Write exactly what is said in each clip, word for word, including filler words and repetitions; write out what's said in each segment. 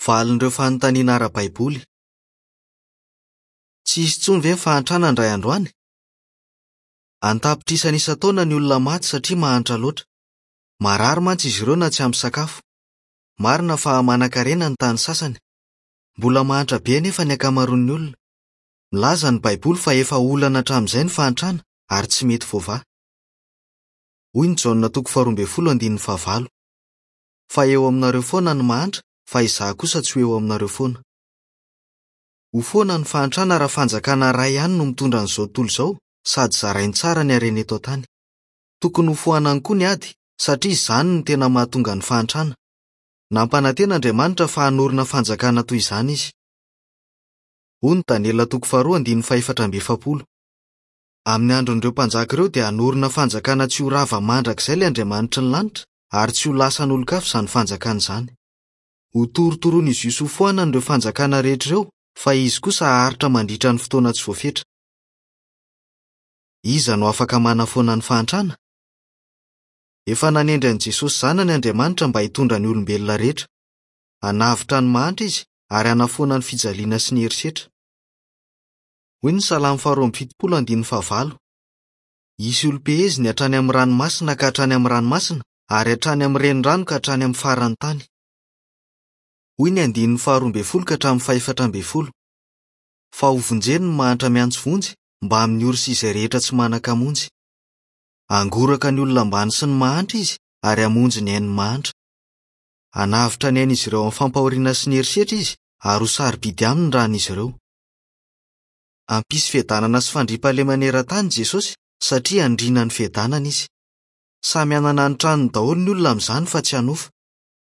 Valin'ireo fanontaniana ara-baiboly. Tsy hisy intsony ve ny fahantrana indray andro any? An-tapitrisany isan-taona ny olona maty satria mahantra loatra. Marary mantsy izy ireo na tsy ampy sakafo. Marina fa manankarena ny tany sasany. Mbola mahantra be anefa ny ankamaroan'ny olona. Milaza ny Baiboly fa efa olana hatramin'izay ny fahantrana ary tsy mety voavaha. Hoy ny Jaona toko faharoa ambin'ny folo andininy fahavalo. Fa eo aminareo foana ny mahantra, fa izaho kosa tsy ho eo aminareo foana. Ho foana ny fahantrana raha fanjakana iray ihany no mitondra an'izao tontolo izao sady zarainy tsara ny harena eto an-tany. Tokony ho foanany koa ny ady satria izany no tena mahatonga ny fahantrana. Nampanantena Andriamanitra fa hanorina fanjakana toy izany izy. Hoy ny Daniela toko faharoa andininy fahefatra amby efapolo. Amin'ny andron'ireo mpanjaka ireo dia hanorina fanjakana tsy ho rava mandrakizay ilay Andriamanitry ny lanitra ary tsy ho lasan'olon-kafa izany fanjakana izany. Ho torotoroan'izy io sy ho foanany ireo fanjakana rehetra ireo fa izy kosa haharitra mandritra ny fotoana tsy voafetra. Iza no afaka manafoana ny fahantrana? Efa nanendry an'i Jesosy Zanany Andriamanitra mba hitondra ny olombelona rehetra. Hanavotra ny mahantra izy ary hanafoana ny fijaliana sy ny herisetra. Hoy ny Salamo faharoa amby fitopolo andininy fahavalo. Hisy olom-peheziny hatrany amin'ny ranomasina ka hatrany amin'ny ranomasina ary hatrany amin'ny renirano ka hatrany amin'ny faran'ny tany. Hoy ny andininy faharoa ambin'ny folo ka hatramin'ny fahefatra ambin'ny folo. Fa hovonjeny ny mahantra miantso vonjy mba amin'ny ory sy izay rehetra tsy manan-kamonjy. Hangoraka ny olona ambany sy ny mahantra izy ary hamonjy ny ain'ny mahantra. Hanavotra ny ain'izy ireo amin'ny fampahoriana sy ny herisetra izy ary ho sarobidy aminy ny ran'izy ireo. Hampisy fiadanana sy fandriampahalemana eran-tany Jesosy satria handrina ny fiadanana izy. Samy hanana ny tranony daholo ny olona amin'izany fa tsy hanofa.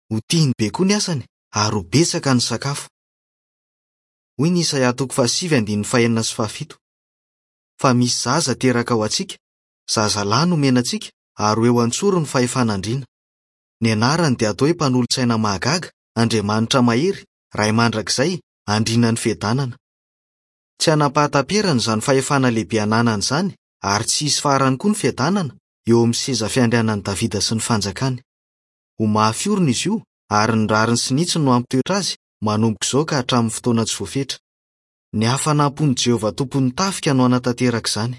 Ho tiany be koa ny asany ary ho betsaka ny sakafo. Hoy ny Isaia toko fahasivy andininy fahenina sy fahafito. Fa misy zaza teraka ho antsika, zazalahy nomena antsika ary ho eo an-tsoro ny fahefan'andriana. Ny anarany dia atao hoe mpanolotsaina mahagaga, Andriamanitra mahery, Ray mandrakizay, andriana ny fiadanana. Tsy hanam-pahataperana izany fahefana lehibe ananany izany ary tsy hisy farany koa ny fiadanana eo amin'ny seza fiandrianan'i Davida sy ny fanjakany. Ho mafy orina izy io ary ny rariny sy ny hitsiny no hampitoetra azy manomboka izao ka hatramin'ny fotoana tsy voafetra. Ny hafanam-pon'i Jehovah tompon'ny tafika no hanatanteraka izany.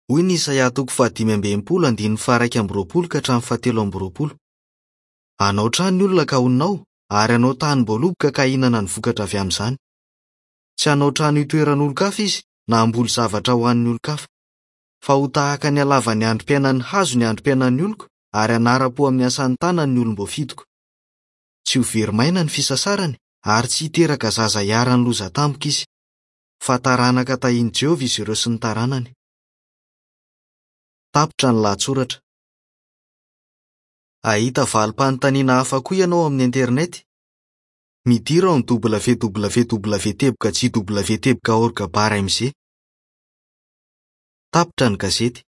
Hoy ny Isaia toko fahadimy amby enimpolo andininy faha-iraika amby roapolo ka hatramin'ny fahatelo amby roapolo. Hanao trano ny olona ka honina ao ary hanao tanim-boaloboka ka hihinana ny vokatra avy amin'izany. Tsy hanao trano hitoeran'olon-kafa izy na hamboly zavatra ho an'ny olon-kafa. Fa ho tahaka ny halavan'ny androm-piainan'ny hazo ny androm-piainan'ny oloko ary hanara-po amin'ny asan'ny tanany ny olom-boafidiko. Tsy ho very maina ny fisasarany ary tsy hiteraka zaza hiharan'ny loza tampoka izy. Fa taranaka tahian'i Jehovah izy ireo sy ny taranany. Tapitra ny lahatsoratra. Hahita valim-panontaniana hafa koa ianao amin'ny internet. Midira ao amin'ny www teboka jw teboka org barre mg. Tapitra ny gazety.